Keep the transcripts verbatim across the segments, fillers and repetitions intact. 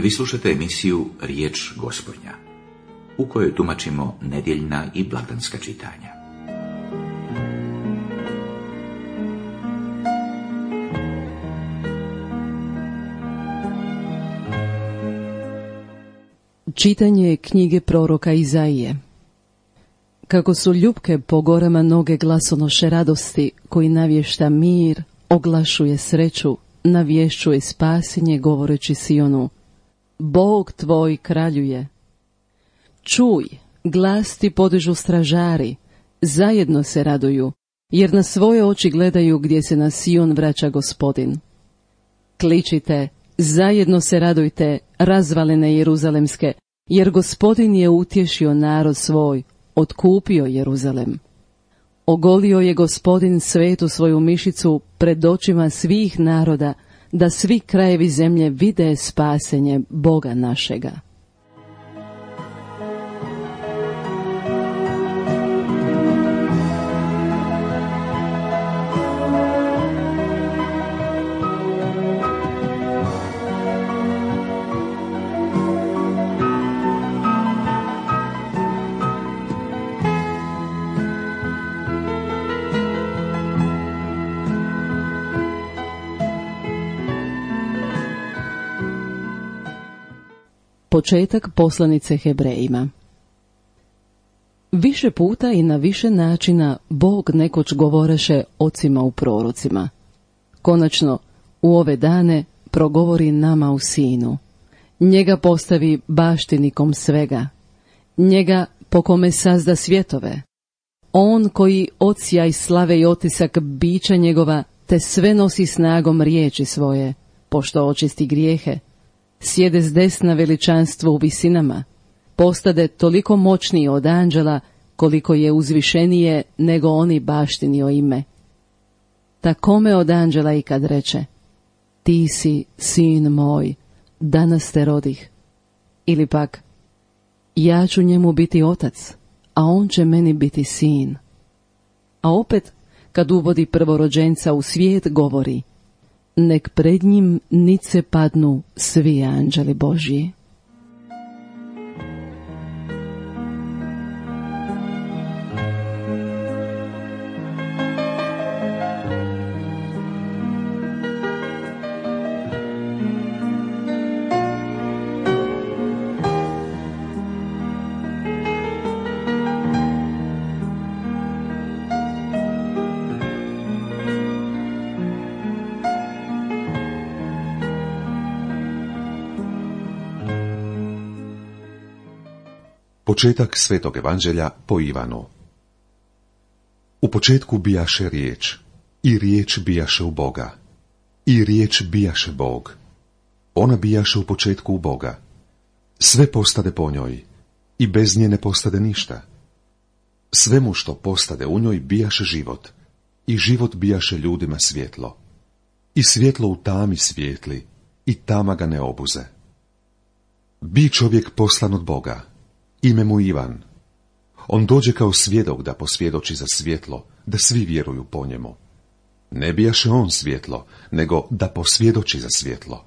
Vi slušate emisiju Riječ Gospodnja, u kojoj tumačimo nedjeljna i blagdanska čitanja. Čitanje knjige proroka Izaije. Kako su ljupke po gorama noge glasonoše radosti, koji navješta mir, oglašuje sreću, navješćuje spasenje, govoreći Sionu: Bog tvoj kraljuje. Čuj, glas ti podižu stražari, zajedno se raduju, jer na svoje oči gledaju gdje se na Sion vraća Gospodin. Kličite, zajedno se radujte, razvalene Jeruzalemske, jer Gospodin je utješio narod svoj, otkupio Jeruzalem. Ogolio je Gospodin svetu svoju mišicu pred očima svih naroda, da svi krajevi zemlje vide spasenje Boga našega. Početak poslanice Hebrejima. Više puta i na više načina Bog nekoć govoreše ocima u prorocima. Konačno, u ove dane progovori nama u Sinu. Njega postavi baštinikom svega. Njega po kome sazda svjetove. On koji odsja i slave i otisak bića njegova, te sve nosi snagom riječi svoje, pošto očisti grijehe. Sjede s desna veličanstvo u visinama, postade toliko moćniji od anđela, koliko je uzvišenije nego oni baštinio ime. Takome od anđela i kad reče: Ti si sin moj, danas te rodih. Ili pak: Ja ću njemu biti otac, a on će meni biti sin. A opet, kad uvodi prvorođenca u svijet, govori: Nek pred njim nice padnu svi anđeli Božji. Početak Svetog evanđelja po Ivanu. U početku bijaše riječ, i riječ bijaše u Boga, i riječ bijaše Bog. Ona bijaše u početku u Boga. Sve postade po njoj, i bez nje ne postade ništa. Svemu što postade u njoj bijaše život, i život bijaše ljudima svjetlo. I svjetlo u tami svijetli, i tama ga ne obuze. Bi čovjek poslan od Boga, ime mu Ivan. On dođe kao svjedok da posvjedoči za svjetlo, da svi vjeruju po njemu. Ne bijaše on svjetlo, nego da posvjedoči za svjetlo.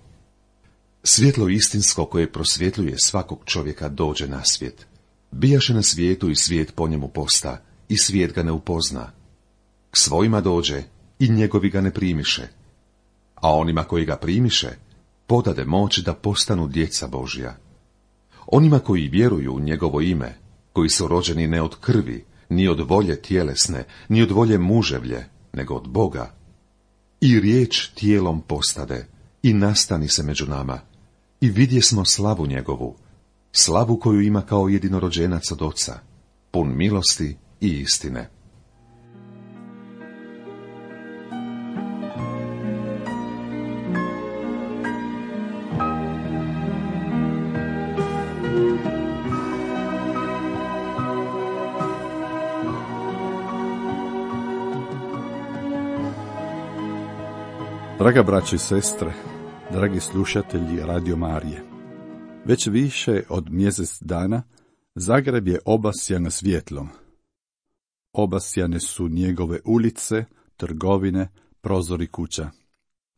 Svjetlo istinsko koje prosvjetljuje svakog čovjeka dođe na svijet. Bijaše na svijetu i svijet po njemu posta, i svijet ga ne upozna. K svojima dođe, i njegovi ga ne primiše. A onima koji ga primiše, podade moć da postanu djeca Božja. Onima koji vjeruju u njegovo ime, koji su rođeni ne od krvi, ni od volje tjelesne, ni od volje muževlje, nego od Boga. I riječ tijelom postade, i nastani se među nama, i vidjesmo slavu njegovu, slavu koju ima kao jedinorođenac od Oca, pun milosti i istine. Draga braćo i sestre, dragi slušatelji Radio Marije, već više od mjesec dana Zagreb je obasjan svjetlom. Obasjane su njegove ulice, trgovine, prozori kuća.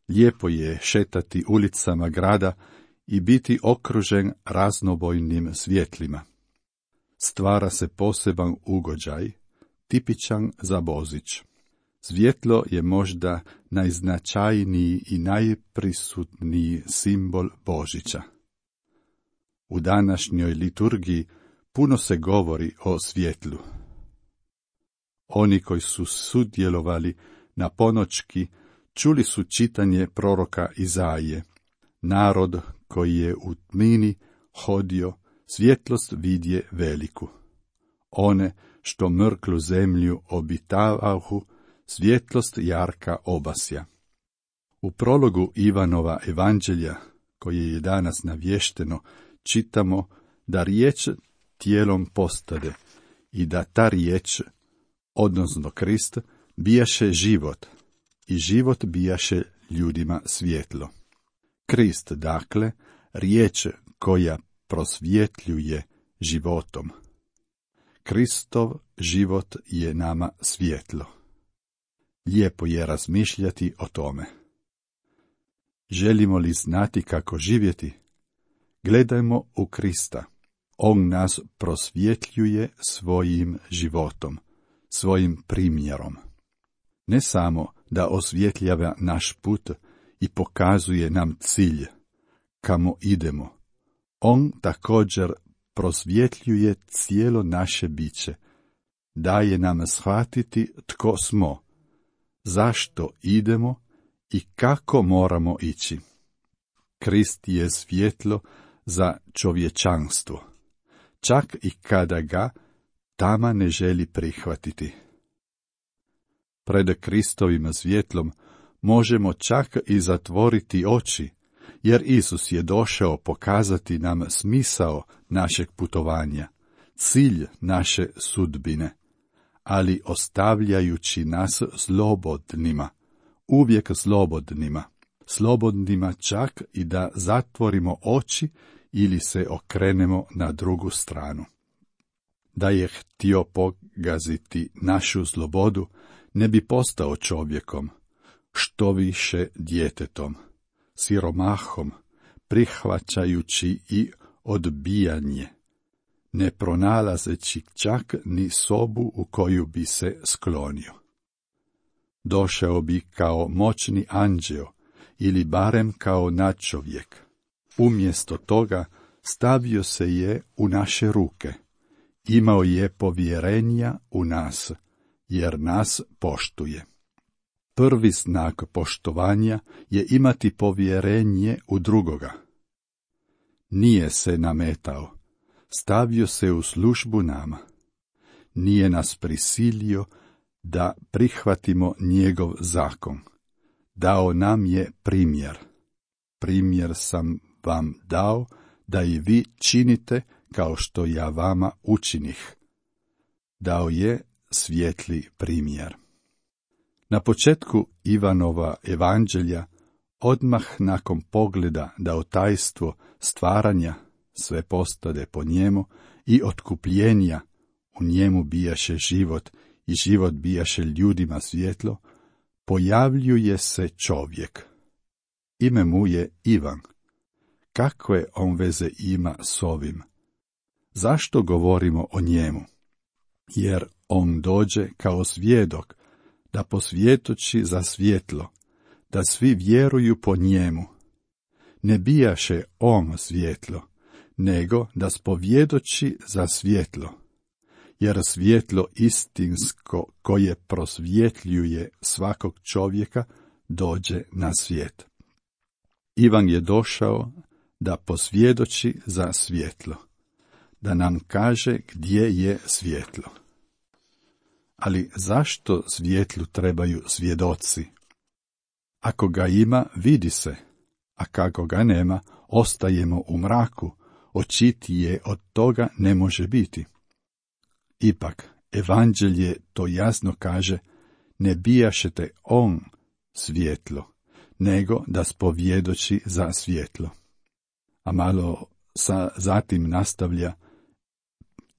Lijepo je šetati ulicama grada i biti okružen raznobojnim svjetlima. Stvara se poseban ugođaj, tipičan za Božić. Svjetlo je možda najznačajniji i najprisutniji simbol Božića. U današnjoj liturgiji puno se govori o svjetlu. Oni koji su sudjelovali na ponoćki čuli su čitanje proroka Izaije. Narod koji je u tmini hodio, svjetlost vidje veliku. One što mrklu zemlju obitavahu, svjetlost jarka obasja. U prologu Ivanova evanđelja, koje je danas navješteno, čitamo da riječ tijelom postade i da ta riječ, odnosno Krist, bijaše život i život bijaše ljudima svjetlo. Krist, dakle, riječ koja prosvjetljuje životom. Kristov život je nama svjetlo. Lijepo je razmišljati o tome. Želimo li znati kako živjeti? Gledajmo u Krista. On nas prosvjetljuje svojim životom, svojim primjerom. Ne samo da osvjetljava naš put i pokazuje nam cilj, kamo idemo. On također prosvjetljuje cijelo naše biće, daje nam shvatiti tko smo, zašto idemo i kako moramo ići. Krist je svjetlo za čovječanstvo, čak i kada ga tama ne želi prihvatiti. Pred Kristovim svjetlom možemo čak i zatvoriti oči, jer Isus je došao pokazati nam smisao našeg putovanja, cilj naše sudbine, ali ostavljajući nas slobodnima, uvijek slobodnima, slobodnima čak i da zatvorimo oči ili se okrenemo na drugu stranu. Da je htio pogaziti našu slobodu, ne bi postao čovjekom, što više djetetom, siromahom, prihvaćajući i odbijanje, ne pronalazeći čak ni sobu u koju bi se sklonio. Došao bi kao moćni anđeo ili barem kao nadčovjek. Umjesto toga stavio se je u naše ruke. Imao je povjerenja u nas, jer nas poštuje. Prvi znak poštovanja je imati povjerenje u drugoga. Nije se nametao, stavio se u službu nama. Nije nas prisilio da prihvatimo njegov zakon. Dao nam je primjer. Primjer sam vam dao da i vi činite kao što ja vama učinih. Dao je svijetli primjer. Na početku Ivanova evanđelja, odmah nakon pogleda da o tajstvo stvaranja sve postade po njemu i otkupljenja u njemu bijaše život i život bijaše ljudima svjetlo, pojavljuje se čovjek. Ime mu je Ivan. Kakve on veze ima s ovim? Zašto govorimo o njemu? Jer on dođe kao svjedok, da posvjedoči za svjetlo, da svi vjeruju po njemu. Ne bijaše on svjetlo, nego da spovjedoči za svjetlo, jer svjetlo istinsko koje prosvjetljuje svakog čovjeka dođe na svijet. Ivan je došao da posvjedoči za svjetlo, da nam kaže gdje je svjetlo. Ali zašto svjetlu trebaju svjedoci? Ako ga ima, vidi se, a kako ga nema, ostajemo u mraku, očitije od toga ne može biti. Ipak, evanđelje to jasno kaže, ne bijašete on svjetlo, nego da spovjedoči za svjetlo. A malo sa, zatim nastavlja,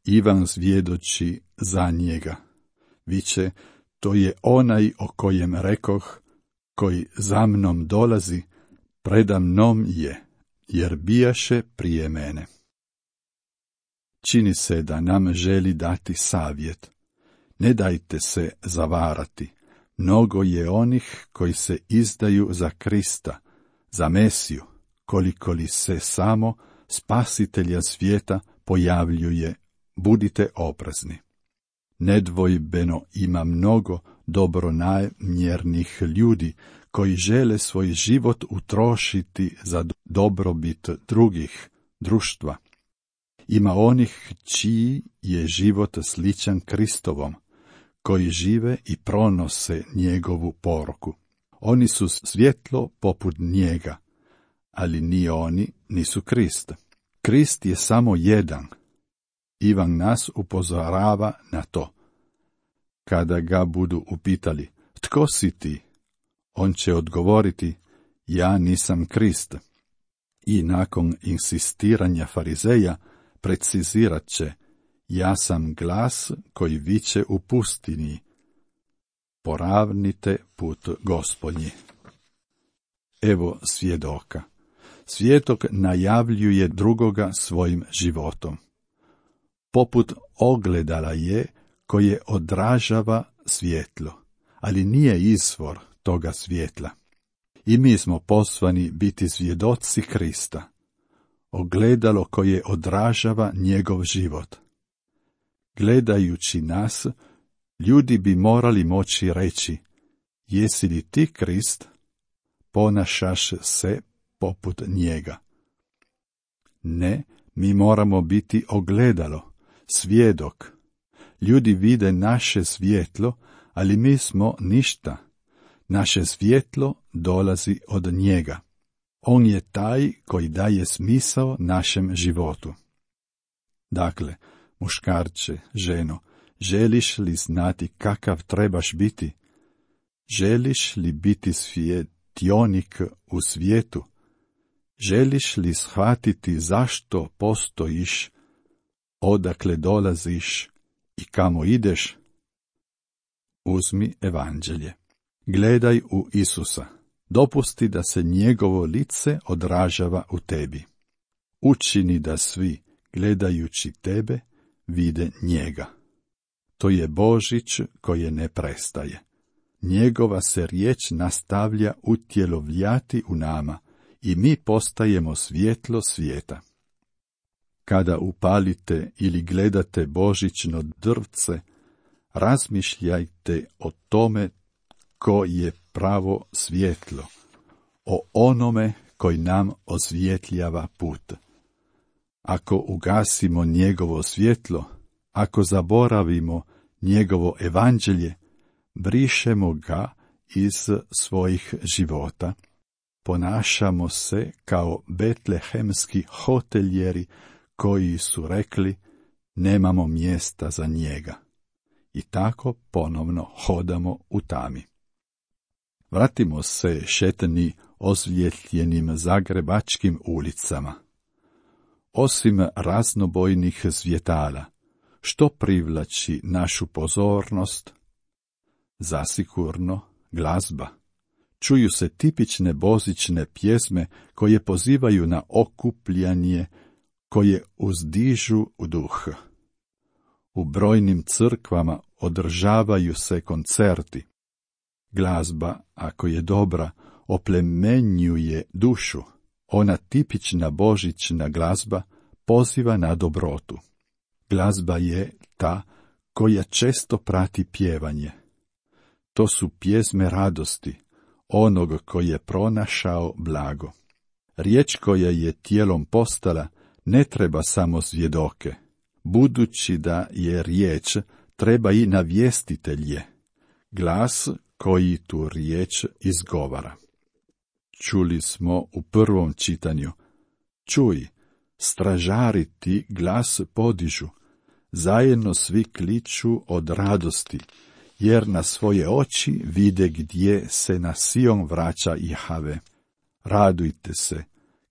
Ivan svjedoči za njega. Viće, to je onaj o kojem rekoh, koji za mnom dolazi, preda mnom je, jer bijaše prije mene. Čini se da nam želi dati savjet. Ne dajte se zavarati. Mnogo je onih koji se izdaju za Krista, za Mesiju, koliko li se samo Spasitelja svijeta pojavljuje. Budite oprezni. Nedvojbeno ima mnogo dobronamjernih ljudi koji žele svoj život utrošiti za dobrobit drugih, društva. Ima onih čiji je život sličan Kristovom, koji žive i pronose njegovu poruku. Oni su svjetlo poput njega, ali ni oni nisu Krist. Krist je samo jedan. Ivan nas upozorava na to. Kada ga budu upitali, tko si ti? On će odgovoriti, ja nisam Krist. I nakon insistiranja farizeja precizirat će, ja sam glas koji viče u pustinji. Poravnite put Gospodnji. Evo svjedoka. Svjedok najavljuje drugoga svojim životom. Poput ogledala je koje odražava svjetlo, ali nije izvor toga svjetla. I mi smo poslani biti svjedoci Krista, ogledalo koje odražava njegov život. Gledajući nas, ljudi bi morali moći reći, jesi li ti Krist? Ponašaš se poput njega. Ne, mi moramo biti ogledalo, svjedok. Ljudi vide naše svjetlo, ali mi smo ništa. Naše svjetlo dolazi od njega. On je taj koji daje smisao našem životu. Dakle, muškarče, ženo, želiš li znati kakav trebaš biti? Želiš li biti svjetionik u svijetu? Želiš li shvatiti zašto postojiš, odakle dolaziš i kamo ideš? Uzmi evanđelje. Gledaj u Isusa. Dopusti da se njegovo lice odražava u tebi. Učini da svi, gledajući tebe, vide njega. To je Božić koje ne prestaje. Njegova se riječ nastavlja utjelovljati u nama i mi postajemo svjetlo svijeta. Kada upalite ili gledate božićno drvce, razmišljajte o tome ko je pravo svjetlo, o onome koji nam osvjetljava put. Ako ugasimo njegovo svjetlo, ako zaboravimo njegovo evanđelje, brišemo ga iz svojih života, ponašamo se kao betlehemski hoteljeri koji su rekli, nemamo mjesta za njega. I tako ponovno hodamo u tami. Vratimo se šetni osvjetljenim zagrebačkim ulicama. Osim raznobojnih svjetala, što privlači našu pozornost? Zasigurno glazba. Čuju se tipične božićne pjesme koje pozivaju na okupljanje, koje uzdižu u duh. U brojnim crkvama održavaju se koncerti. Glazba, ako je dobra, oplemenjuje dušu. Ona tipična božićna glazba poziva na dobrotu. Glazba je ta koja često prati pjevanje. To su pjesme radosti, onog koji je pronašao blago. Riječ koja je tijelom postala ne treba samo svjedoke. Budući da je riječ, treba i navjestitelje, glas koji tu riječ izgovara. Čuli smo u prvom čitanju, čuj, stražari ti glas podižu, zajedno svi kliču od radosti, jer na svoje oči vide gdje se na Sion vraća Jahve. Radujte se,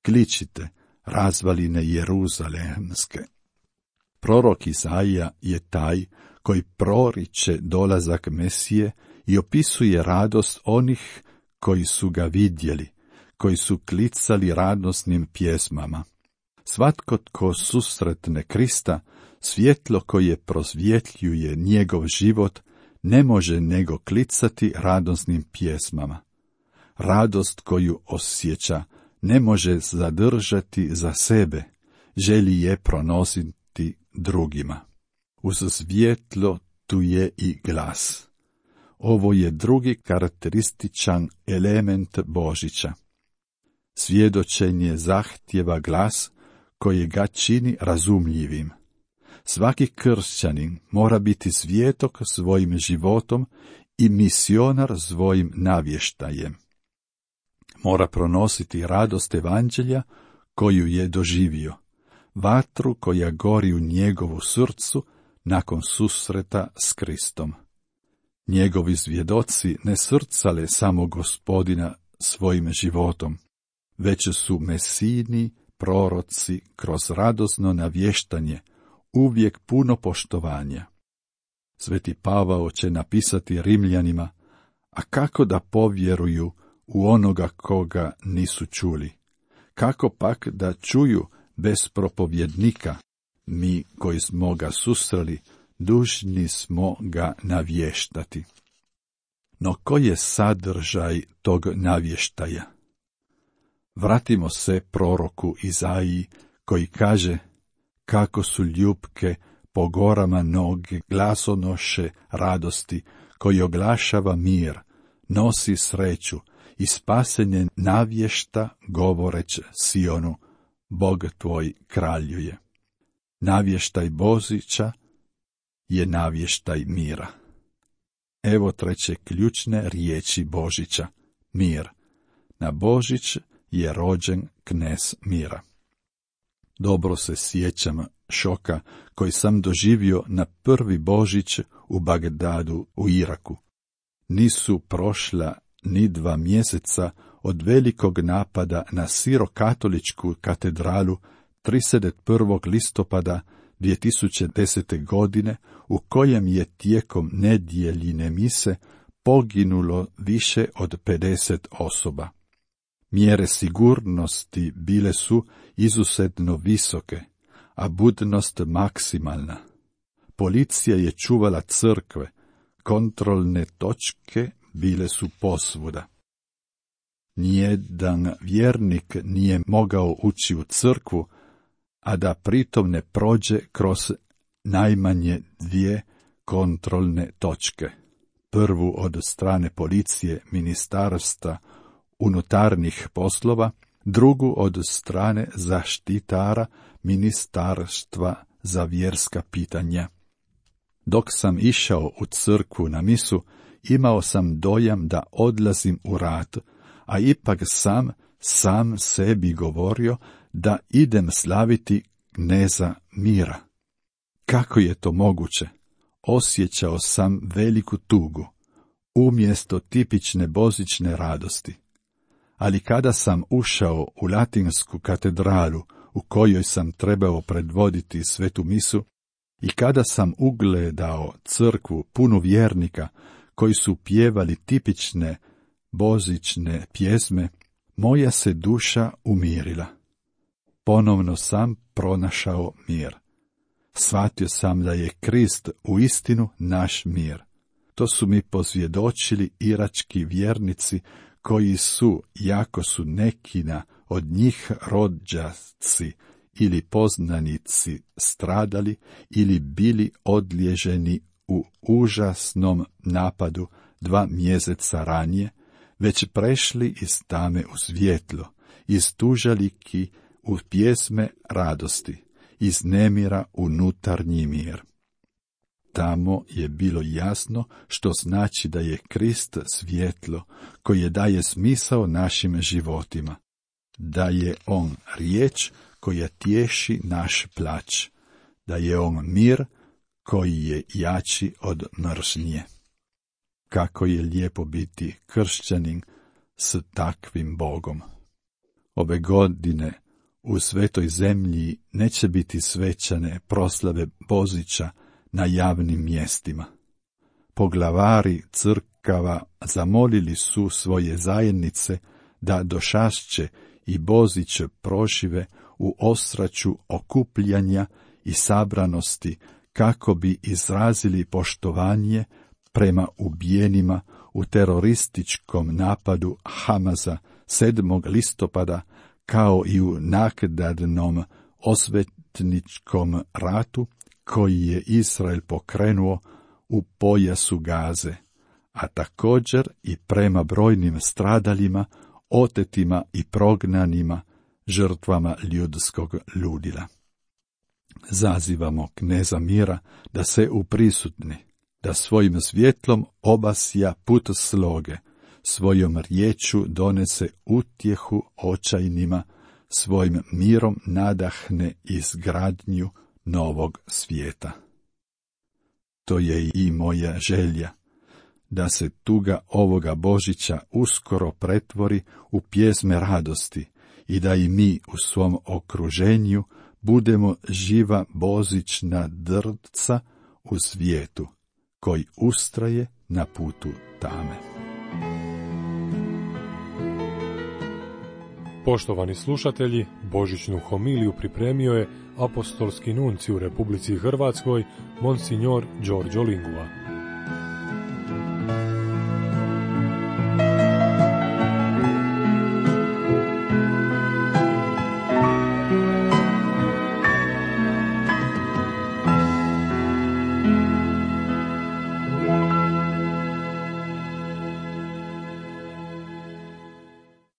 kličite, razvaline Jeruzalemske. Prorok Izaija je taj koji proriče dolazak Mesije i opisuje radost onih koji su ga vidjeli, koji su klicali radosnim pjesmama. Svatko tko susretne Krista, svjetlo koje prosvjetljuje njegov život, ne može nego klicati radosnim pjesmama. Radost koju osjeća ne može zadržati za sebe, želi je pronositi drugima. Uz svjetlo tu je i glas. Ovo je drugi karakterističan element Božića. Svjedočenje zahtjeva glas koji ga čini razumljivim. Svaki kršćanin mora biti svjetok svojim životom i misionar svojim navještajem. Mora pronositi radost evanđelja koju je doživio, vatru koja gori u njegovu srcu nakon susreta s Kristom. Njegovi svjedoci ne srcale samo Gospodina svojim životom, već su mesijni proroci kroz radosno navještanje uvijek puno poštovanja. Sveti Pavao će napisati Rimljanima, a kako da povjeruju u onoga koga nisu čuli? Kako pak da čuju bez propovjednika? Mi koji smo ga susreli, dužni smo ga navještati. No koji je sadržaj tog navještaja? Vratimo se proroku Izaiji koji kaže, kako su ljupke po gorama noge glasonoše radosti, koji oglašava mir, nosi sreću i spasenje navješta govoreć Sionu, Bog tvoj kraljuje. Navještaj Božića je navještaj mira. Evo treće ključne riječi Božića, mir. Na Božić je rođen knez mira. Dobro se sjećam šoka koji sam doživio na prvi Božić u Bagdadu u Iraku. Nisu prošla ni dva mjeseca od velikog napada na sirokatoličku katedralu trideset prvog listopada dvije tisuće desete. godine, u kojem je tijekom nedjeljine mise poginulo više od pedeset osoba. Mjere sigurnosti bile su izuzetno visoke, a budnost maksimalna. Policija je čuvala crkve, kontrolne točke bile su posvuda. Nijedan vjernik nije mogao ući u crkvu, a da pritom ne prođe kroz najmanje dvije kontrolne točke. Prvu od strane policije ministarstva unutarnjih poslova, drugu od strane zaštitara ministarstva za vjerska pitanja. Dok sam išao u crkvu na misu, imao sam dojam da odlazim u rat, a ipak sam, sam sebi govorio da idem slaviti kneza mira. Kako je to moguće? Osjećao sam veliku tugu, umjesto tipične božićne radosti. Ali kada sam ušao u latinsku katedralu u kojoj sam trebao predvoditi svetu misu i kada sam ugledao crkvu punu vjernika koji su pjevali tipične božićne pjesme, moja se duša umirila. Ponovno sam pronašao mir. Shvatio sam da je Krist uistinu naš mir. To su mi posvjedočili irački vjernici koji su, jako su nekina od njih rođaci ili poznanici stradali ili bili odlježeni u užasnom napadu dva mjeseca ranije, već prešli iz tame u svjetlo, iz tužaliki u pjesme radosti, iz nemira unutarnji mir. Tamo je bilo jasno što znači da je Krist svjetlo koje daje smisao našim životima, da je on riječ koja tješi naš plać, da je on mir koji je jači od mržnje. Kako je lijepo biti kršćanin s takvim Bogom. Ove godine u svetoj zemlji neće biti svečane proslave Božića na javnim mjestima. Poglavari crkava zamolili su svoje zajednice da Došašće i Bozić prožive u osraću okupljanja i sabranosti, kako bi izrazili poštovanje prema ubijenima u terorističkom napadu Hamaza sedmog listopada, kao i u naknadnom osvetničkom ratu koji je Izrael pokrenuo u pojasu Gaze, a također i prema brojnim stradalima, otetima i prognanima, žrtvama ljudskog ludila. Zazivamo kneza mira da se uprisutni, da svojim svjetlom obasja put sloge, svojom riječu donese utjehu očajnima, svojim mirom nadahne izgradnju novog svijeta. To je i moja želja, da se tuga ovoga Božića uskoro pretvori u pjesme radosti i da i mi u svom okruženju budemo živa božićna drca u svijetu koji ustraje na putu tame. Poštovani slušatelji, božićnu homiliju pripremio je apostolski nunci u Republici Hrvatskoj, monsignor Đorđo Lingua.